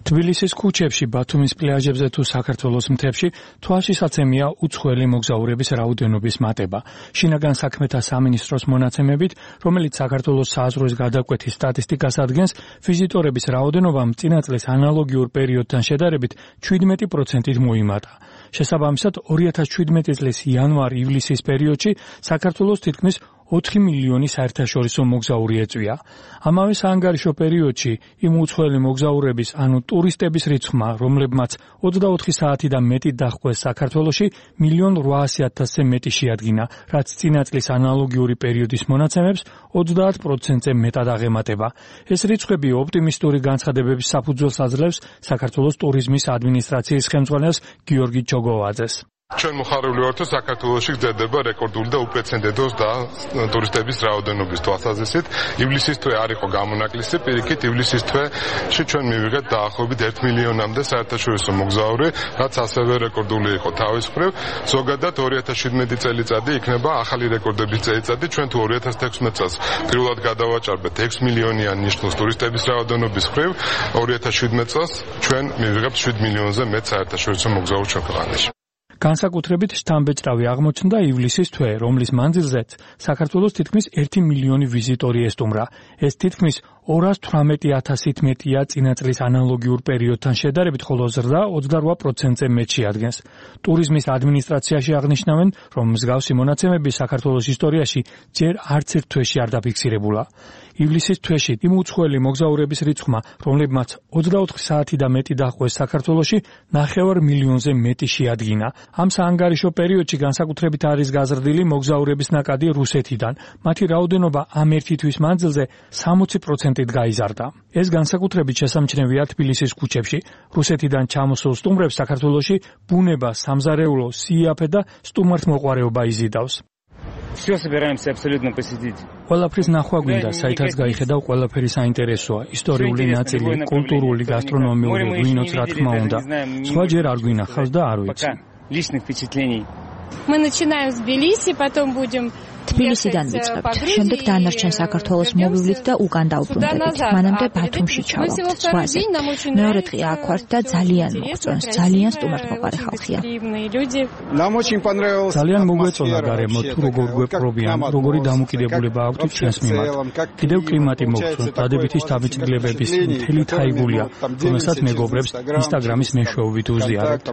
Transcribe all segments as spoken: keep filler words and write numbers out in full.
თბილისის ქუჩებში, ბათუმის პლაჟებზე თუ საქართველოს მთებში თვალშისაცემია უცხოელი მოგზაურების რაოდენობის მატება. შინაგან საქმეთა სამინისტროს მონაცემებით, რომელიც საქართველოს საზღვრის გადაკვეთის სტატისტიკას ადგენს, ვიზიტორების რაოდენობამ წინა წლის ანალოგიურ პერიოდთან შედარებით შვიდმეტი პროცენტით მოიმატა. შესაბამისად, ორი ათას შვიდმეტი წლის იანვარ-ივლისის პერიოდში საქართველოს თითქმის ოთხი მილიონი საერთაშორისო მოგზაური ეწვია. ამავე საანგარიშო პერიოდში იმ უცხოელი მოგზაურების, ანუ ტურისტების რიცხვმა, რომლებმაც ოცდაოთხი საათი და მეტი დაჰყვეს საქართველოში, მილიონ რვაასი ათასზე მეტი შეადგინა, რაც წინა წლის ანალოგიური პერიოდის მონაცემებს ოცდაათ პროცენტზე მეტად აღემატება. ეს რიცხვები ოპტიმისტური განცხადებების საფუძველს აძლევს საქართველოს ტურიზმის ადმინისტრაციის ხელმძღვანელს გიორგი ჩოგოვაძეს. ჩვენ მოხარული ვართ, რომ საქართველოში გრძელდება რეკორდული და უპრეცედენტო და ტურისტების რაოდენობის თვალსაზრისით. ივლისის თვე არ იყო გამონაკლისი, პირიქით ივლისის თვეში ჩვენ მივიღეთ დაახლოებით ერთ მილიონამდე საერთაშორისო მოგზაური, რაც ასევე რეკორდული იყო თავის მხრივ. ზოგადად ორი ათას შვიდმეტი წელიწადი იქნება ახალი რეკორდების წელიწადი. ჩვენ თუ ორი ათას თექვსმეტ წელს პირველად გადავაჭარბეთ ექვს მილიონიან ნიშნულს ტურისტების რაოდენობის მხრივ, ორი ათას შვიდმეტ წელს ჩვენ მივიღებთ შვიდ მილიონზე მეტ საერთაშორისო მოგზაურს ჩვენ ქვეყანაში. განსაკუთრებით შთამბეჭდავი აღმოჩნდა ივლისის თვე, რომლის მანძილზეც საქართველოს თითქმის ერთი მილიონი ვიზიტორი ესტუმრა. ეს თითქმის ორას თვრამეტი ათასით მეტია წინა წლის ანალოგიურ პერიოდთან შედარებით, ხოლო ზრდა ოცდარვა პროცენტზე მეტ შეადგენს. ტურიზმის ადმინისტრაციაში აღნიშნავენ, რომ მსგავსი მონაცემები საქართველოს ისტორიაში ჯერ არც ერთ თვეში არ დაფიქსირებულა. ივლისის თვეში იმ უცხოელი მოგზაურების რიცხვმა, რომლებმაც ოცდაოთხი საათი და მეტი დაჰყვეს საქართველოში, ნახევარ მილიონზე მეტი შეადგინა. ამ საანგარიშო პერიოდში განსაკუთრებით არის გაზრდილი მოგზაურების ნაკადი რუსეთიდან. მათი რაოდენობა ამ ერთი თვის მანძილზე სამოცი პროცენტით გაიზარდა. ეს განსაკუთრებით შესამჩნევია თბილისის ქუჩებში. რუსეთიდან ჩამოსულ სტუმრებს საქართველოში ბუნება, სამზარეულო, სიაფე და სტუმართმოყვარეობა იზიდავს. Все собираемся абсолютно посетить. ყველაფრის ნახვა გვინდა, საითაც გაიხედავ, ყველაფერი საინტერესოა, ისტორიული ნაწილი, კულტურული, გასტრონომიული, ვინოც რა თქმა უნდა. სხვა ჯერ არ გვინახავს და არ ვიცი. Личных впечатлений. Мы начинаем с Тбилиси, потом будем თბილისიდან ვიწყებთ, შემდეგ დანარჩენ საქართველოს მოვივლით და უკან დავბრუნდებით. მანამდე ბათუმში ჩავალთ, ზღვაზე. მეორე დღე აქ ვართ და ძალიან მოგწონს, ძალიან სტუმართმოყვარე ხალხია. ძალიან მოგვეწონა გარემო, თუ როგორ გვეპყრობიან, როგორი დამოკიდებულება აქვთ ჩვენს მიმართ. კიდევ კლიმატი მოგწონს, დადებითი შთაბეჭდილებების მთელი თაიგულია, რომელსაც მეგობრებს ინსტაგრამის მეშვეობით უზიარებთ.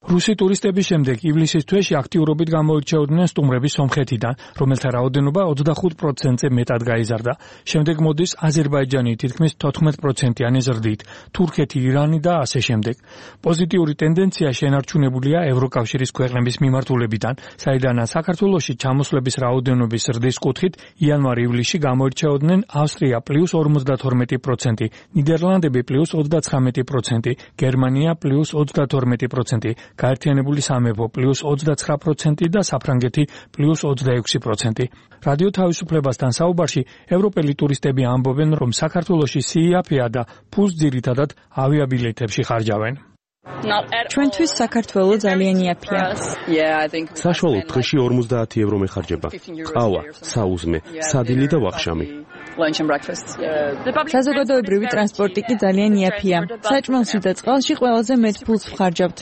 რუსი ტურისტების შემდეგ ივლისის თვეში აქტიურობით გამოირჩეოდნენ სტუმრები სომხეთიდან, რომელთა რაოდენობა ოცდახუთ პროცენტზე მეტად გაიზარდა. შემდეგ მოდის აზერბაიჯანი თითქმის თოთხმეტ პროცენტიანი ზრდით, თურქეთი, ირანი და ასე შემდეგ. პოზიტიური ტენდენცია შენარჩუნებულია ევროკავშირის ქვეყნების მიმართულებიდან, საიდანაც საქართველოში ჩამოსვლების რაოდენობის ზრდის კუთხით იანვარ-ივლისში გამოირჩეოდნენ ავსტრია პლუს ორმოცდათორმეტი პროცენტი, ნიდერლანდები პლუს ოცდაცხრამეტი პროცენტი, გერმანია პლუს ოცდათორმეტი პროცენტი. გაერთიანებული სამეფო პლუს ოცდაცხრა პროცენტი და საფრანგეთი პლუს ოცდაექვსი პროცენტი. რადიო თავისუფლებასთან საუბარში ევროპელი ტურისტები ამბობენ, რომ საქართველოში სიაფეა და ფულს ძირითადად ავიაბილეთებში ხარჯავენ. ჩვენთვის საქართველო ძალიან იაფია. საშუალოდ დღეში ორმოცდაათი ევრო მეხარჯება. ყავა, საუზმე, სადილი და ვახშამი. საზოგადოებრივი ტრანსპორტი კი ძალიან იაფია. საჭმელში და წყალში ყველაზე მეტ ფულს ვხარჯავთ.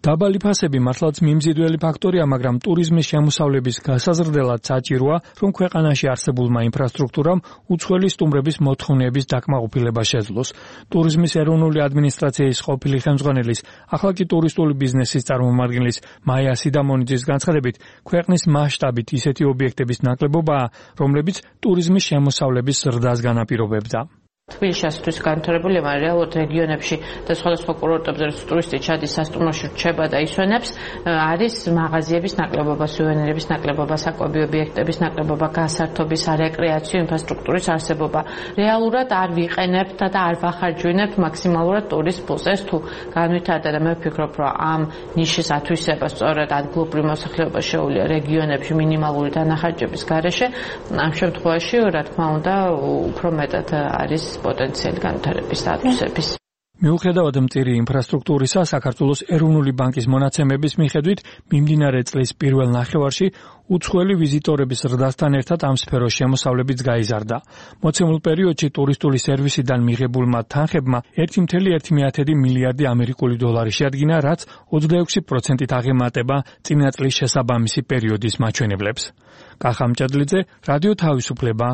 დაბალი ფასები მართლაც მიმზიდველი ფაქტორია, მაგრამ ტურიზმის შემოსავლების გასაზრდელად საჭიროა, რომ ქვეყანაში არსებულმა ინფრასტრუქტურამ უცხოელი სტუმრების მოთხოვნების დაკმაყოფილება შეძლოს. ტურიზმის ეროვნული ადმინისტრაციის ყოფილი ხელმძღვანელის, ახლა კი ტურისტული ბიზნესის წარმომადგენლის მაია სიდამონიძის განცხადებით, ქვეყნის მასშტაბით ისეთი ობიექტების ნაკლებობაა, რომლებიც ტურიზმის შემოსავლების ზრდას განაპირობებდა. თბილისში ასთვის განვითარებულია, მაგრამ რეალურად რეგიონებში და სხვადასხვა კურორტებზე რაც ტურისტი ჩადის, სასტუმროში რჩება და ისვენებს, არის მაღაზიების ნაკლებობა, სუვენირების ნაკლებობა, საკვები ობიექტების ნაკლებობა, გასართობის, რეკრეაციო ინფრასტრუქტურის არსებობა. რეალურად არ ვიყენებთ და არ ვახარჯვინებთ მაქსიმალურად ტურისტ ფულს. ეს თუ განვითარდა და მე ვფიქრობ, რომ ამ ნიშის ათვისება სწორედ ადგილობრივ მოსახლეობას შეუძლია რეგიონებში მინიმალური დანახარჯების გარეშე, ამ შემთხვევაში, რა თქმა უნდა, უფრო მეტად არის პოტენციალი განვითარების და ათვისების. მიუხედავად მწირი ინფრასტრუქტურისა, საქართველოს ეროვნული ბანკის მონაცემების მიხედვით, მიმდინარე წლის პირველ ნახევარში უცხოელი ვიზიტორების ზრდასთან ერთად ამ სფეროს შემოსავლებიც გაიზარდა. მოცემულ პერიოდში ტურისტული სერვისიდან მიღებულმა თანხებმა ერთი კoma ერთი მილიარდი ამერიკული დოლარი შეადგინა, რაც ოცდაექვსი პროცენტით აღემატება წინა წლის შესაბამისი პერიოდის მაჩვენებლებს. კახა მჭედლიძე, რადიო თავისუფლება,